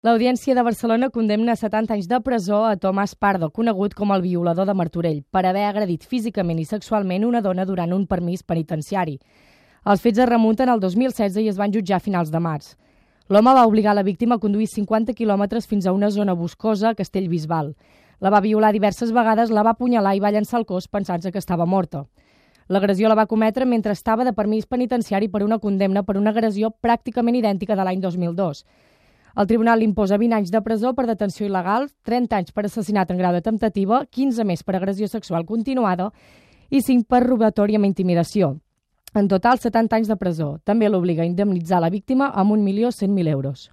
L'Audiència de Barcelona condemna a 70 anys de presó a Tomàs Pardo, conegut com el violador de Martorell, per haver agredit físicament i sexualment una dona durant un permís penitenciari. Els fets es remunten al 2016 i es van jutjar a finals de març. L'home va obligar la víctima a conduir 50 quilòmetres fins a una zona boscosa a Castellbisbal. La va violar diverses vegades, la va apunyalar i va llançar el cos pensant que estava morta. L'agressió la va cometre mentre estava de permís penitenciari per una condemna per una agressió pràcticament idèntica de l'any 2002. El tribunal li imposa 20 anys de presó per detenció il·legal, 30 anys per assassinat en grau de temptativa, 15 més per agressió sexual continuada i 5 per robatori amb intimidació. En total, 70 anys de presó. També l'obliga a indemnitzar la víctima amb 1.100.000 euros.